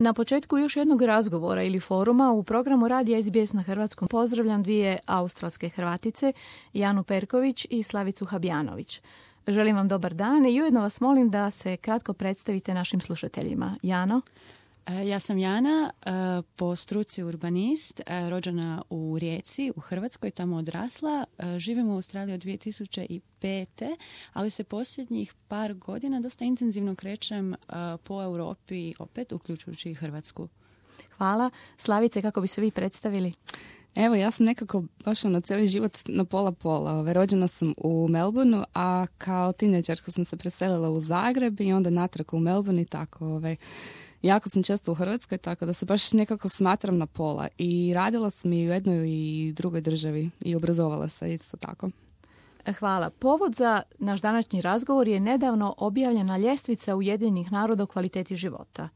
Na početku još jednog razgovora ili foruma u programu Radija SBS na hrvatskom pozdravljam dvije australske Hrvatice, Janu Perković i Slavicu Habjanović. Želim vam dobar dan i ujedno vas molim da se kratko predstavite našim slušateljima. Jano? Ja sam Jana, po struci urbanist, rođena u Rijeci, u Hrvatskoj, tamo odrasla. Živim u Australiji od 2005. ali se posljednjih par godina dosta intenzivno krećem po Europi, opet uključujući i Hrvatsku. Hvala. Slavice, kako bi se vi predstavili? Evo, ja sam nekako baš cijeli život na pola. Rođena sam u Melbourneu, a kao tinejdžerka sam se preselila u Zagreb i onda natrag u Melbourne i tako. Jako sam često u Hrvatskoj, tako da se baš nekako smatram na pola. I radila sam i u jednoj i drugoj državi i obrazovala se isto tako. Hvala. Povod za naš današnji razgovor je nedavno objavljena ljestvica Ujedinjenih naroda o kvaliteti života,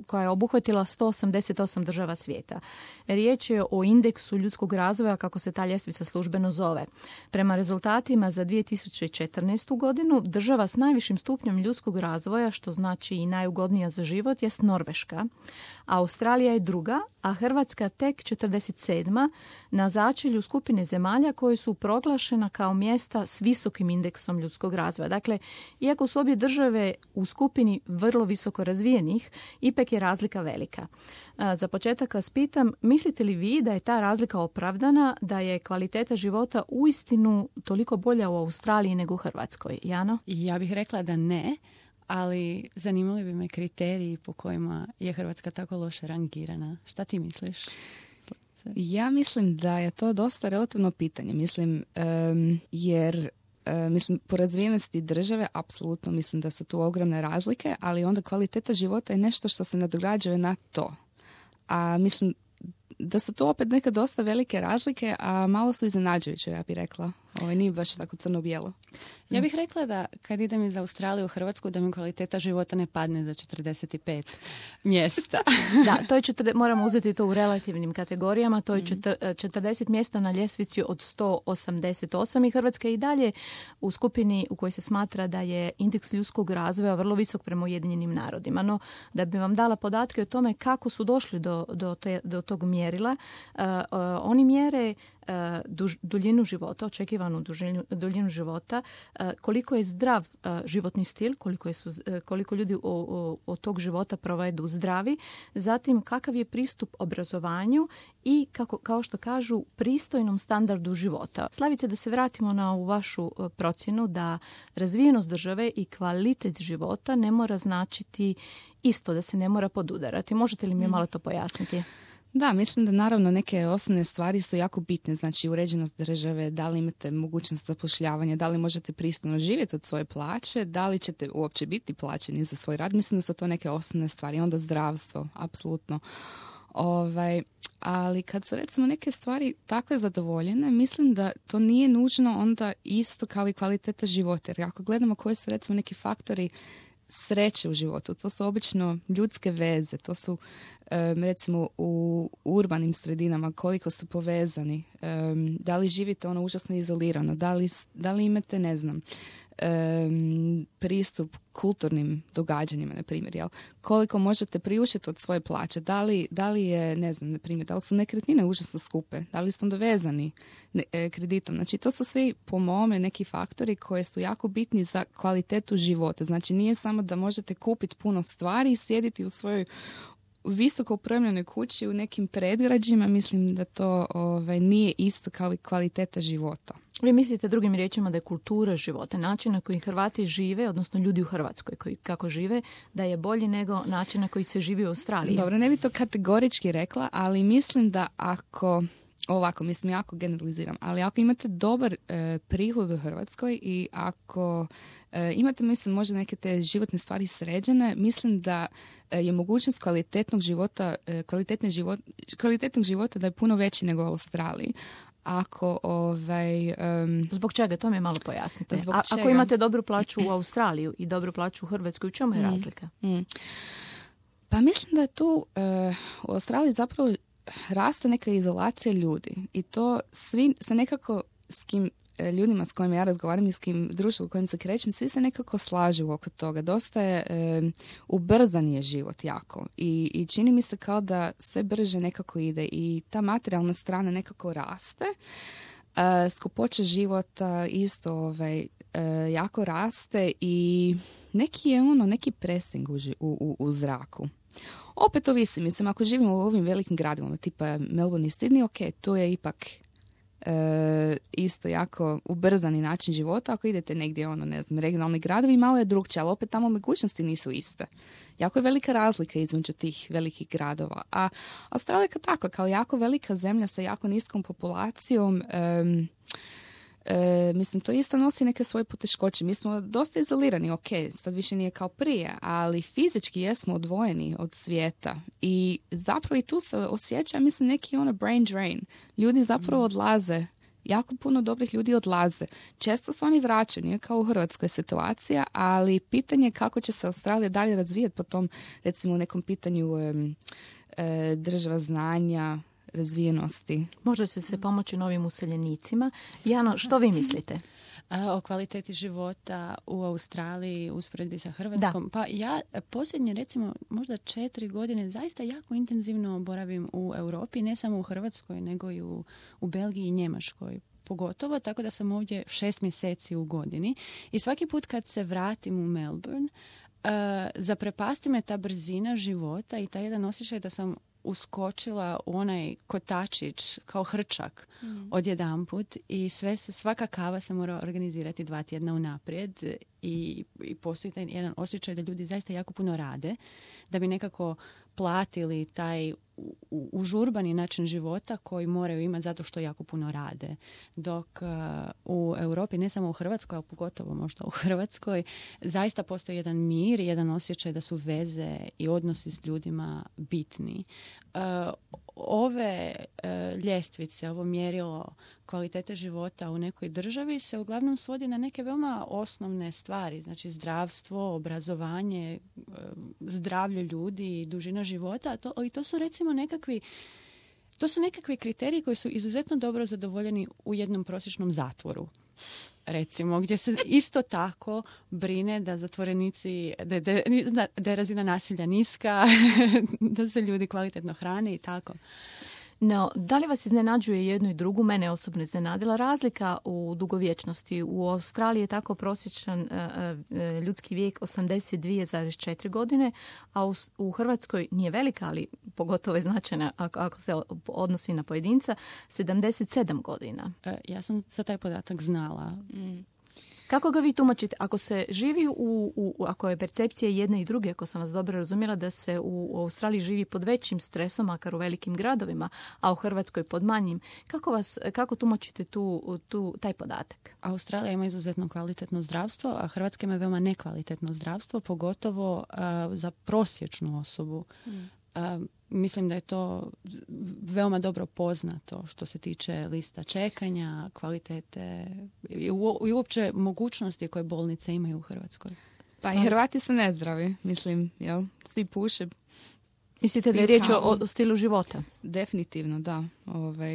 koja je obuhvatila 188 država svijeta. Riječ je o indeksu ljudskog razvoja, kako se ta ljestvica službeno zove. Prema rezultatima za 2014. godinu, država s najvišim stupnjem ljudskog razvoja, što znači i najugodnija za život, jest Norveška. Australija je druga, a Hrvatska tek 47. na začelju skupine zemalja koje su proglašena kao mjesta s visokim indeksom ljudskog razvoja. Dakle, iako su obje države u skupini vrlo visoko razvijenih, ipak je razlika velika. Za početak vas pitam, mislite li vi da je ta razlika opravdana, da je kvaliteta života uistinu toliko bolja u Australiji nego u Hrvatskoj? Jano? Ja bih rekla da ne, ali zanimali bi me kriteriji po kojima je Hrvatska tako loše rangirana. Šta ti misliš? Ja mislim da je to dosta relativno pitanje. Jer po razvijenosti države apsolutno mislim da su tu ogromne razlike, ali onda kvaliteta života je nešto što se nadograđuje na to. A mislim da su to opet neke dosta velike razlike, a malo su iznenađujuće, ja bih rekla. Nije baš tako crno-bijelo. Ja bih rekla da kad idem iz Australije u Hrvatsku, da mi kvaliteta života ne padne za 45 mjesta. Da, to je moramo uzeti to u relativnim kategorijama. To je 40 mjesta na ljestvici od 188 i Hrvatska je i dalje u skupini u kojoj se smatra da je indeks ljudskog razvoja vrlo visok prema Ujedinjenim narodima. No, da bi vam dala podatke o tome kako su došli do tog mjerila, oni mjere duljinu života, očekivanu duljinu života, koliko je zdrav životni stil, koliko ljudi od tog života provedu zdravi, zatim kakav je pristup obrazovanju i, kao što kažu, pristojnom standardu života. Slavice, da se vratimo na ovu vašu procjenu da razvijenost države i kvalitet života ne mora značiti isto, da se ne mora podudarati. Možete li mi malo to pojasniti? Da, mislim da naravno neke osnovne stvari su jako bitne, znači uređenost države, da li imate mogućnost zapošljavanja, da li možete pristojno živjeti od svoje plaće, da li ćete uopće biti plaćeni za svoj rad, mislim da su to neke osnovne stvari, onda zdravstvo, apsolutno. Ali kad su recimo neke stvari takve zadovoljene, mislim da to nije nužno onda isto kao i kvaliteta života, jer ako gledamo koji su recimo neki faktori sreće u životu, to su obično ljudske veze, to su recimo u urbanim sredinama koliko ste povezani, da li živite užasno izolirano, da li imate, ne znam, pristup kulturnim događanjima, na primjer, jel? Koliko možete priuštiti od svoje plaće, da li je, ne znam, na primjer, da li su nekretnine užasno skupe, da li ste onda vezani kreditom. Znači, to su svi, po mome, neki faktori koji su jako bitni za kvalitetu života. Znači, nije samo da možete kupiti puno stvari i sjediti u svojoj visoko opremljenoj kući u nekim predgrađima, mislim da to nije isto kao i kvaliteta života. Vi mislite drugim riječima da je kultura života, način na koji Hrvati žive, odnosno ljudi u Hrvatskoj koji kako žive, da je bolji nego način na koji se živi u Australiji? Dobro, ne bi to kategorički rekla, ali mislim da jako generaliziram, ali ako imate dobar prihod u Hrvatskoj i ako imate, mislim, možda neke te životne stvari sređene, mislim da je mogućnost kvalitetnog života da je puno veći nego u Australiji. Zbog čega? To mi malo pojasnite. Ako imate dobru plaću u Australiji i dobru plaću u Hrvatskoj, u čemu je razlika? Pa mislim da je tu u Australiji zapravo raste neka izolacija ljudi i to svi se nekako s kim ljudima s kojima ja razgovaram i s kim društvo u kojem se krećem, svi se nekako slažu oko toga. Dosta je ubrzan je život jako i čini mi se kao da sve brže nekako ide i ta materijalna strana nekako raste. Skupoća života isto jako raste i neki pressing u zraku. Opet ovisi, mislim, ako živimo u ovim velikim gradovima, tipa Melbourne i Sydney, ok, to je ipak isto jako ubrzani način života. Ako idete negdje, regionalni gradovi, malo je drugčije, ali opet tamo mogućnosti nisu iste. Jako je velika razlika između tih velikih gradova. A Australija tako, kao jako velika zemlja sa jako niskom populacijom, mislim, to isto nosi neke svoje poteškoće. Mi smo dosta izolirani, ok, sad više nije kao prije, ali fizički jesmo odvojeni od svijeta i zapravo i tu se osjeća, mislim, neki brain drain. Ljudi zapravo odlaze, jako puno dobrih ljudi odlaze. Često se oni vraćaju, nije kao u Hrvatskoj situacija, ali pitanje je kako će se Australija dalje razvijati po tom, recimo, u nekom pitanju država znanja, razvijenosti. Možda će se pomoći novim useljenicima. Jano, što vi mislite? O kvaliteti života u Australiji usporedbi sa Hrvatskom. Da. Pa ja posljednje, recimo, možda 4 godine zaista jako intenzivno boravim u Europi, ne samo u Hrvatskoj, nego i u Belgiji i Njemačkoj. Pogotovo, tako da sam ovdje 6 mjeseci u godini. I svaki put kad se vratim u Melbourne, zaprepasti me ta brzina života i taj jedan osjećaj da sam uskočila u onaj kotačić kao hrčak odjedanput i svaka kava se mora organizirati 2 tjedna unaprijed i postoji taj jedan osjećaj da ljudi zaista jako puno rade da bi nekako platili taj užurbani način života koji moraju imati zato što jako puno rade. Dok u Europi, ne samo u Hrvatskoj, a pogotovo možda u Hrvatskoj, zaista postoji jedan mir i jedan osjećaj da su veze i odnosi s ljudima bitni. Ove ljestvice, ovo mjerilo kvalitete života u nekoj državi se uglavnom svodi na neke veoma osnovne stvari, znači zdravstvo, obrazovanje, zdravlje ljudi, dužina života, i to su recimo nekakvi kriteriji koji su izuzetno dobro zadovoljeni u jednom prosječnom zatvoru. Recimo, gdje se isto tako brine da zatvorenici, da je razina nasilja niska, da se ljudi kvalitetno hrane i tako. No, da li vas iznenađuje jedno i drugo? Mene osobno iznenadila razlika u dugovječnosti. U Australiji je tako prosječan ljudski vijek 82,4 godine, a u Hrvatskoj nije velika, ali pogotovo je značajna ako se odnosi na pojedinca, 77 godina. Ja sam za taj podatak znala. Kako ga vi tumačite? Ako se živi ako je percepcija jedne i druge, ako sam vas dobro razumjela, da se u Australiji živi pod većim stresom, makar u velikim gradovima, a u Hrvatskoj pod manjim, kako tumačite taj podatak? Australija ima izuzetno kvalitetno zdravstvo, a Hrvatska ima veoma nekvalitetno zdravstvo, pogotovo za prosječnu osobu. Mislim da je to veoma dobro poznato što se tiče lista čekanja, kvalitete i uopće mogućnosti koje bolnice imaju u Hrvatskoj. Pa i Hrvati su nezdravi, mislim, jel? Svi puše. Mislite da je riječ o stilu života? Definitivno, da.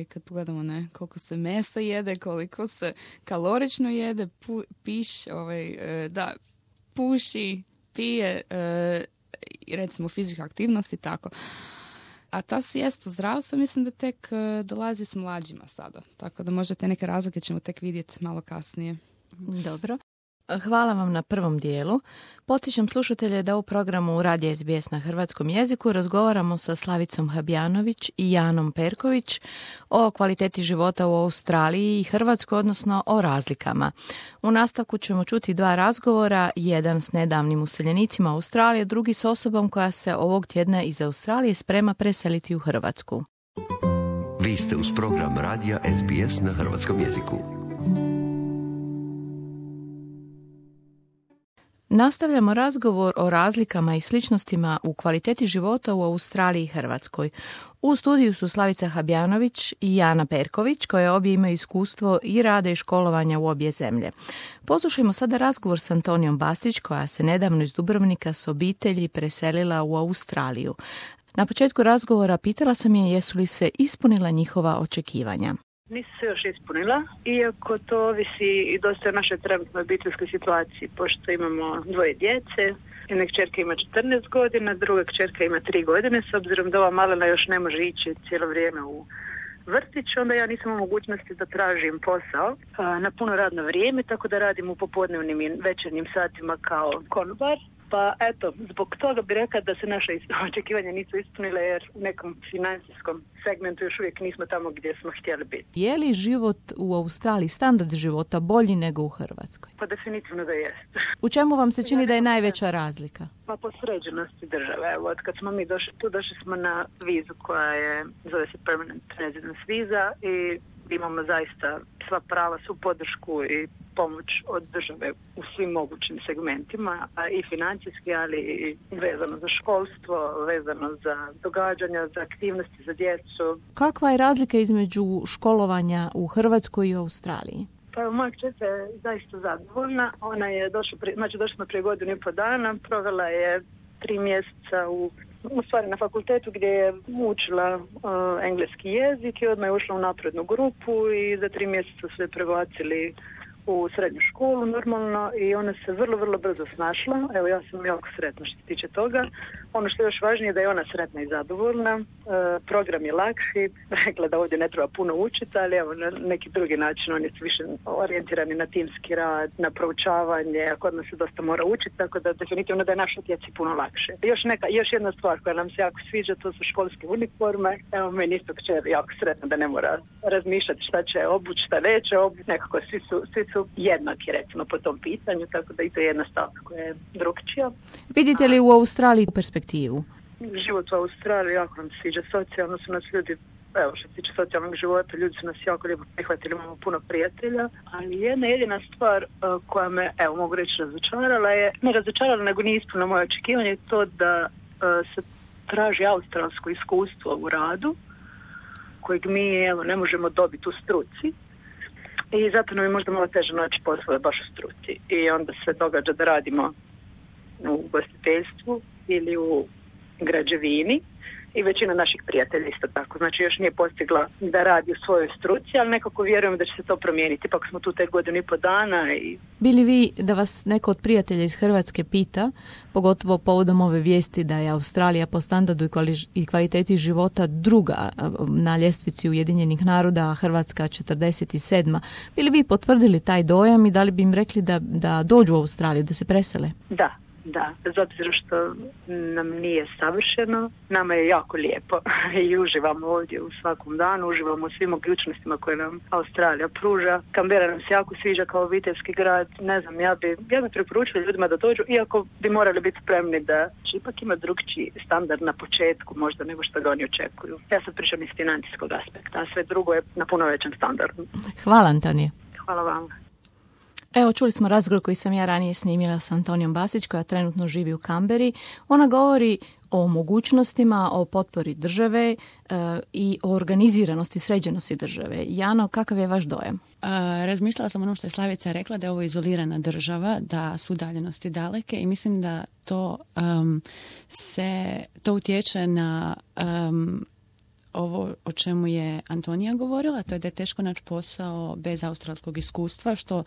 Kad pogledamo koliko se mesa jede, koliko se kalorično jede, puši, pije, recimo fizička aktivnost i tako. A ta svijest o zdravstvu mislim da tek dolazi s mlađima sada. Tako da možda te neke razlike ćemo tek vidjeti malo kasnije. Dobro. Hvala vam na prvom dijelu. Podsjećam slušatelje da u programu Radija SBS na hrvatskom jeziku razgovaramo sa Slavicom Habjanović i Janom Perković o kvaliteti života u Australiji i Hrvatskoj, odnosno o razlikama. U nastavku ćemo čuti 2 razgovora, jedan s nedavnim useljenicima Australije, drugi s osobom koja se ovog tjedna iz Australije sprema preseliti u Hrvatsku. Vi ste uz program Radija SBS na hrvatskom jeziku. Nastavljamo razgovor o razlikama i sličnostima u kvaliteti života u Australiji i Hrvatskoj. U studiju su Slavica Habjanović i Jana Perković, koje obje imaju iskustvo i rade i školovanja u obje zemlje. Poslušajmo sada razgovor s Antonijom Basić, koja se nedavno iz Dubrovnika s obitelji preselila u Australiju. Na početku razgovora pitala sam je jesu li se ispunila njihova očekivanja. Nisu se još ispunila, iako to ovisi i dosta o našoj trenutnoj obiteljskoj situaciji, pošto imamo 2 djece. Jedna kćerka ima 14 godina, druga kćerka ima 3 godine, s obzirom da ova malena još ne može ići cijelo vrijeme u vrtić, onda ja nisam u mogućnosti da tražim posao na puno radno vrijeme, tako da radim u popodnevnim i večernjim satima kao konobar. Pa eto, zbog toga bih rekla da se naše očekivanja nisu ispunile, jer u nekom financijskom segmentu još uvijek nismo tamo gdje smo htjeli biti. Je li život u Australiji, standard života, bolji nego u Hrvatskoj? Pa definitivno da jest. U čemu vam se čini da je najveća razlika? Pa po sređenosti države. Evo, od kad smo mi došli tu, došli smo na vizu koja je, zove se Permanent Residence viza, i imamo zaista sva prava, svu podršku i pomoć od države u svim mogućim segmentima, a i financijski, ali i vezano za školstvo, vezano za događanja, za aktivnosti za djecu. Kakva je razlika između školovanja u Hrvatskoj i u Australiji? Pa moja kćerka je zaista zadovoljna. Ona je došla smo prije 1.5 godina, provela je 3 mjeseca u stvari na fakultetu gdje je učila engleski jezik i odmah je ušla u naprednu grupu i za 3 mjeseca su je prebacili u srednju školu normalno i ona se vrlo, vrlo brzo snašla. Evo, ja sam jako sretna što se tiče toga. Ono što je još važnije je da je ona sretna i zadovoljna. Program je lakši. Rekla da ovdje ne treba puno učiti, ali evo, na neki drugi način oni su više orijentirani na timski rad, na proučavanje, a kod nas se dosta mora učiti, tako da definitivno da je našoj djeci puno lakše. Još jedna stvar koja nam se jako sviđa, to su školske uniforme. Evo, meni isto kćer jako sretna da ne mora razmišljati šta će obući, šta neće obući. Nekako svi su jednaki, recimo, po tom pitanju, tako da i to je jedna stavka koja je drugčija. Vidite li u Australiji perspektivu? Život u Australiji jako nam se sviđa. Socijalno su nas ljudi, evo što se tiče socijalnog života, ljudi su nas jako lijepo prihvatili, imamo puno prijatelja, ali jedna jedina stvar koja me, evo mogu reći, razočarala, nego nije ispunila moje očekivanje, je to da se traži australsko iskustvo u radu, kojeg mi, evo, ne možemo dobiti u struci. I zato nam je možda malo teže naći poslove baš u struci. I onda se događa da radimo u ugostiteljstvu ili u građevini i većina naših prijatelja isto tako. Znači još nije postigla da radi u svojoj struci, ali nekako vjerujem da će se to promijeniti. Ipak smo tu tek 1,5 dana. Bili vi da vas neko od prijatelja iz Hrvatske pita, pogotovo povodom ove vijesti da je Australija po standardu i kvaliteti života druga na ljestvici Ujedinjenih naroda, a Hrvatska 47. Bili vi potvrdili taj dojam i da li bi im rekli da dođu u Australiju, da se presele? Da, bez obzira što nam nije savršeno, nama je jako lijepo i uživamo ovdje u svakom danu, uživamo u svim mogućnostima koje nam Australija pruža. Canberra nam se jako sviđa kao obiteljski grad, ne znam, ja bi preporučila ljudima da dođu, iako bi morali biti spremni da će ipak ima drugčiji standard na početku možda nego što ga oni očekuju. Ja sad pričam iz financijskog aspekta, a sve drugo je na puno većem standardu. Hvala, Antonija. Hvala vam. Evo, čuli smo razgovor koji sam ja ranije snimila s Antonijom Basić, koja trenutno živi u Canberri. Ona govori o mogućnostima, o potpori države i o organiziranosti, sređenosti države. Jano, kakav je vaš dojam? Razmišljala sam ono što je Slavica rekla, da je ovo izolirana država, da su udaljenosti daleke i mislim da to utječe na ovo o čemu je Antonija govorila, to je da je teško naći posao bez australskog iskustva, što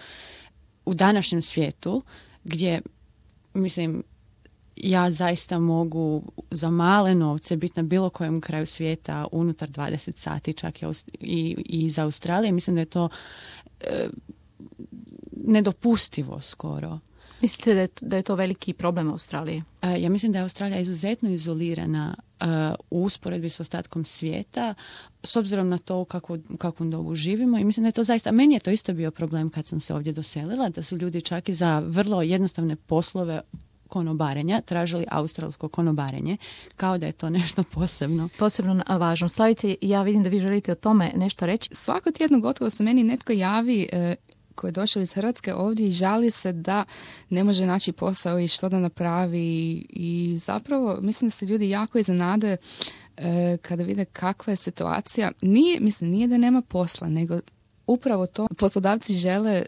u današnjem svijetu, gdje, mislim, ja zaista mogu za male novce biti na bilo kojem kraju svijeta unutar 20 sati, čak i iz Australije. Mislim da je to nedopustivo skoro. Mislite da je to veliki problem Australije? Ja mislim da je Australija izuzetno izolirana u usporedbi s ostatkom svijeta, s obzirom na to u kakvom dobu živimo, i mislim da je to zaista, meni je to isto bio problem kad sam se ovdje doselila, da su ljudi čak i za vrlo jednostavne poslove konobarenja tražili australsko konobarenje, kao da je to nešto posebno. Posebno važno. Slavice, ja vidim da vi želite o tome nešto reći. Svako tjedno gotovo se meni netko javi koji je došao iz Hrvatske ovdje i žali se da ne može naći posao i što da napravi, i zapravo mislim da se ljudi jako iznenade kada vide kakva je situacija. Nije da nema posla, nego upravo to. Poslodavci žele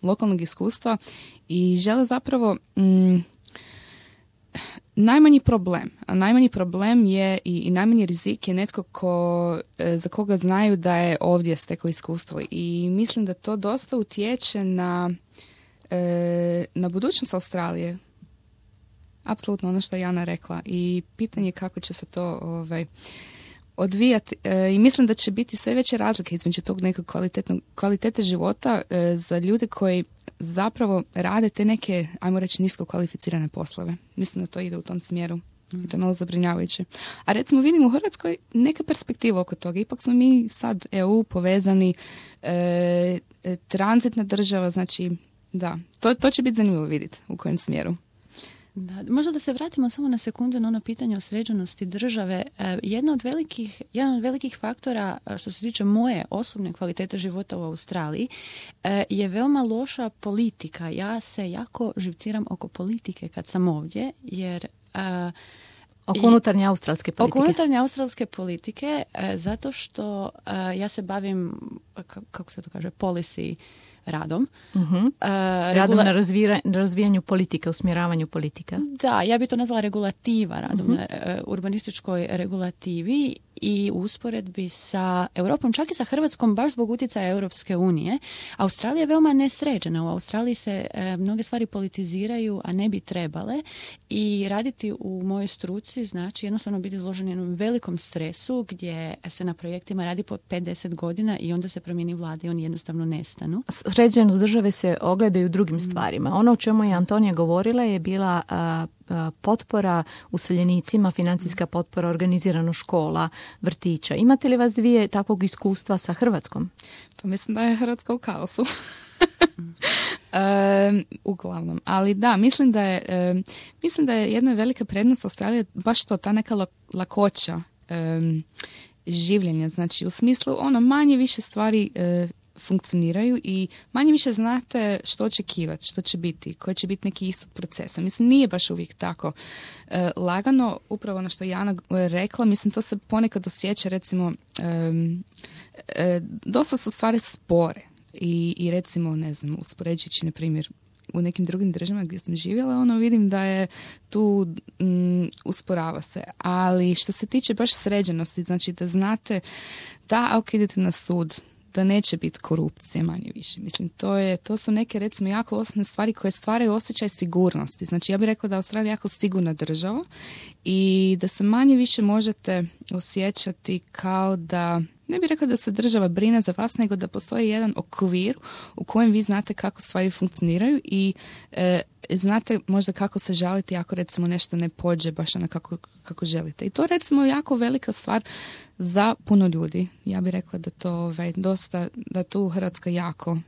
lokalnog iskustva i žele zapravo najmanji problem. A najmanji problem je i najmanji rizik je netko za koga znaju da je ovdje stekao iskustvo. I mislim da to dosta utječe na budućnost Australije. Apsolutno ono što je Jana rekla. I pitanje je kako će se to odvijati. I mislim da će biti sve veće razlike između tog nekog kvalitete života za ljude koji zapravo rade te neke, ajmo reći, nisko kvalificirane poslove. Mislim da to ide u tom smjeru. I to je malo zabrinjavajuće. A recimo vidimo u Hrvatskoj neka perspektiva oko toga. Ipak smo mi sad EU povezani, tranzitna država, znači da, to će biti zanimljivo vidjeti u kojem smjeru. Da, možda da se vratimo samo na sekundu na ono pitanje o sređenosti države. Jedan od velikih faktora što se tiče moje osobne kvalitete života u Australiji je veoma loša politika. Ja se jako živciram oko politike kad sam ovdje, jer oko unutarnje australske politike. Oko unutarnje australske politike, zato što ja se bavim, kako se to kaže, policy radom. Radom na razvijanju politike, usmjeravanju politika. Da, ja bi to nazvala regulativa, radom na urbanističkoj regulativi i usporedbi sa Europom, čak i sa Hrvatskom, baš zbog utjecaja Europske unije. Australija je veoma nesređena. U Australiji se mnoge stvari politiziraju, a ne bi trebale, i raditi u mojoj struci znači jednostavno biti izložen jednom velikom stresu gdje se na projektima radi po 5-10 godina i onda se promijeni vlada i oni jednostavno nestanu. Sređenost države se ogleda i u drugim stvarima. Ono o čemu je Antonija govorila je bila potpora useljenicima, financijska potpora, organizirano škola, vrtića. Imate li vas dvije takvog iskustva sa Hrvatskom? Pa mislim da je Hrvatska u kaosu. Uglavnom. Ali da, mislim da je jedna velika prednost Australije baš to, ta neka lakoća življenja. Znači, u smislu manje više stvari funkcioniraju i manje više znate što očekivati, što će biti, koji će biti neki ishod procesa. Mislim, nije baš uvijek tako lagano, upravo ono što je Jana rekla, mislim, to se ponekad osjeća, recimo, dosta su stvari spore i recimo, ne znam, uspoređujući, na primjer, u nekim drugim državama gdje sam živjela, vidim da je tu usporava se. Ali što se tiče baš sređenosti, znači da znate da ako idete na sud, da neće biti korupcije manje više. Mislim, to su neke, recimo, jako osnovne stvari koje stvaraju osjećaj sigurnosti. Znači, ja bih rekla da je Australija jako sigurna država i da se manje više možete osjećati kao da, ne bih rekla da se država brine za vas, nego da postoji jedan okvir u kojem vi znate kako stvari funkcioniraju i znate možda kako se žaliti ako, recimo, nešto ne pođe baš ono kako želite. I to, recimo, jako velika stvar za puno ljudi. Ja bih rekla da to dosta, da tu Hrvatska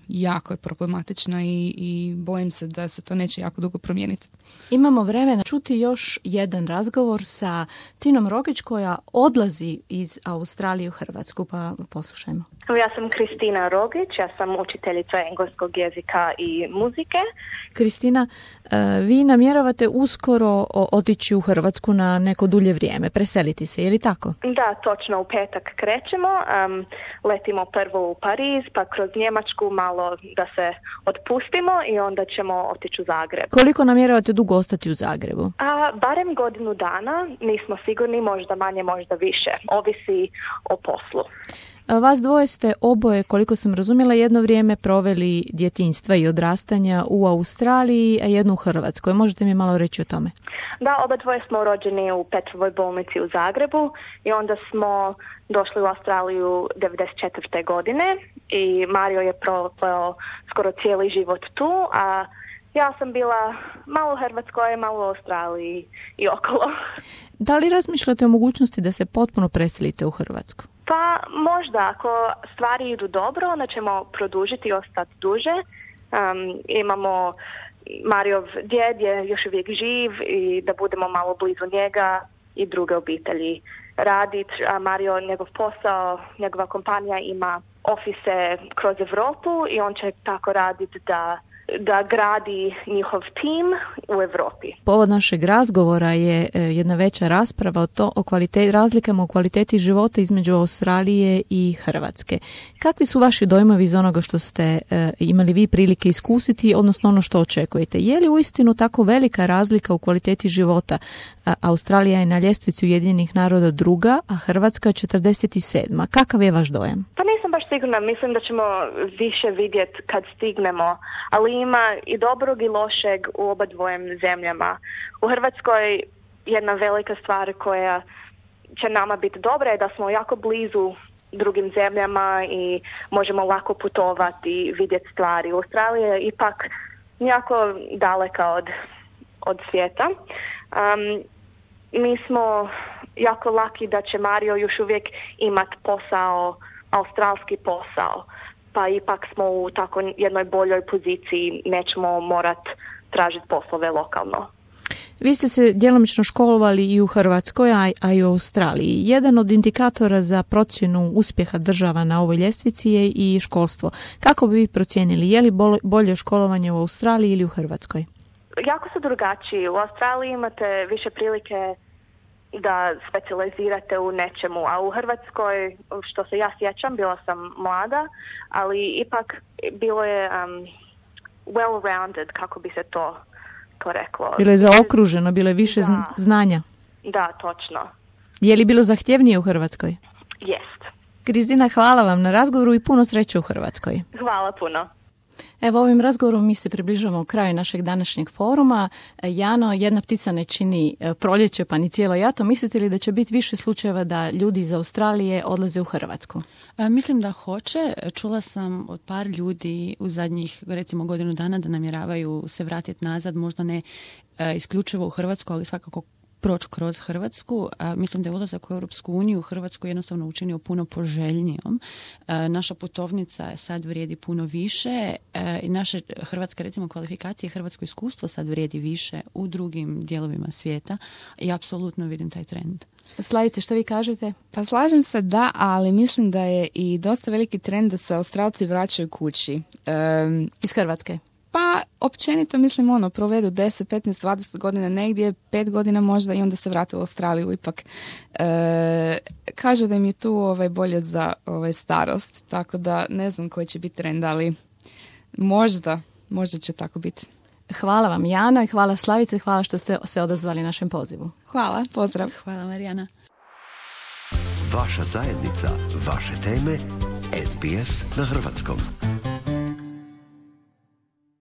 jako je problematična i bojim se da se to neće jako dugo promijeniti. Imamo vremena čuti još jedan razgovor sa Tinom Rogić koja odlazi iz Australije u Hrvatsku, pa poslušajmo. Ja sam Kristina Rogić, ja sam učiteljica engleskog jezika i muzike. Kristina, vi namjeravate uskoro otići u Hrvatsku na neko dulje vrijeme, preseliti se, je li tako? Da, točno, u petak krećemo, letimo prvo u Pariz, pa kroz Njemačku malo da se otpustimo i onda ćemo otići u Zagreb. Koliko namjeravate dugo ostati u Zagrebu? Barem godinu dana, nismo sigurni, možda manje, možda više, ovisi o poslu. Vas dvoje ste oboje, koliko sam razumjela, jedno vrijeme proveli djetinjstva i odrastanja u Australiji, a jedno u Hrvatskoj. Možete mi malo reći o tome? Da, oba dvoje smo rođeni u Petrovoj bolnici u Zagrebu i onda smo došli u Australiju 1994. godine i Mario je proveo skoro cijeli život tu, a ja sam bila malo u Hrvatskoj, malo u Australiji i okolo. Da li razmišljate o mogućnosti da se potpuno preselite u Hrvatsku? Pa možda, ako stvari idu dobro, onda ćemo produžiti i ostati duže. Imamo Mariov djed je još uvijek živ i da budemo malo blizu njega i druge obitelji raditi. A Mario, njegov posao, njegova kompanija ima ofise kroz Europu i on će tako raditi da da gradi njihov tim u Europi. Povod našeg razgovora je jedna veća rasprava o razlikama u kvaliteti života između Australije i Hrvatske. Kakvi su vaši dojmovi iz onoga što ste imali vi prilike iskusiti, odnosno ono što očekujete? Je li uistinu tako velika razlika u kvaliteti života? Australija je na ljestvici Ujedinjenih naroda druga, a Hrvatska 47. Kakav je vaš dojam? Pa nisam baš sigurna, mislim da ćemo više vidjeti kad stignemo, ali ima i dobrog i lošeg u obadvojem zemljama. U Hrvatskoj jedna velika stvar koja će nama biti dobra je da smo jako blizu drugim zemljama i možemo lako putovati i vidjeti stvari. Australija je ipak jako daleka od svijeta. Mi smo jako laki da će Mario još uvijek imati posao, australski posao, pa ipak smo u tako jednoj boljoj poziciji, nećemo morati tražiti poslove lokalno. Vi ste se djelomično školovali i u Hrvatskoj, a i u Australiji. Jedan od indikatora za procjenu uspjeha država na ovoj ljestvici je i školstvo. Kako bi vi procijenili, je li bolje školovanje u Australiji ili u Hrvatskoj? Jako su drugačiji. U Australiji imate više prilike da specijalizirate u nečemu, a u Hrvatskoj, što se ja sjećam, bila sam mlada, ali ipak bilo je well-rounded, kako bi se to reklo. Bilo je zaokruženo, bilo je više znanja. Da, točno. Je li bilo zahtjevnije u Hrvatskoj? Jest. Kristina, hvala vam na razgovoru i puno sreće u Hrvatskoj. Hvala puno. Evo, ovim razgovorom mi se približavamo kraju našeg današnjeg foruma. Jano, jedna ptica ne čini proljeće pa ni cijelo jato. Mislite li da će biti više slučajeva da ljudi iz Australije odlaze u Hrvatsku? Mislim da hoće. Čula sam od par ljudi u zadnjih, recimo, godinu dana da namjeravaju se vratiti nazad, možda ne isključivo u Hrvatsku, ali svakako proći kroz Hrvatsku. Mislim da je ulazak u Europsku uniju Hrvatsku jednostavno učinio puno poželjnijom. Naša putovnica sad vrijedi puno više i naše hrvatske, recimo, kvalifikacije, hrvatsko iskustvo sad vrijedi više u drugim dijelovima svijeta i apsolutno vidim taj trend. Slavice, što vi kažete? Pa slažem se da, ali mislim da je i dosta veliki trend da se Australci vraćaju kući. Iz Hrvatske? Pa, općenito mislim provedu 10, 15, 20 godina negdje, 5 godina možda i onda se vrate u Australiju ipak. Kažu da im je tu bolje za starost, tako da ne znam koji će biti trend, ali možda će tako biti. Hvala vam, Jana, i hvala Slavice, hvala što ste se odazvali našem pozivu. Hvala, pozdrav. Hvala, Marijana. Vaša zajednica, vaše teme, SBS na hrvatskom.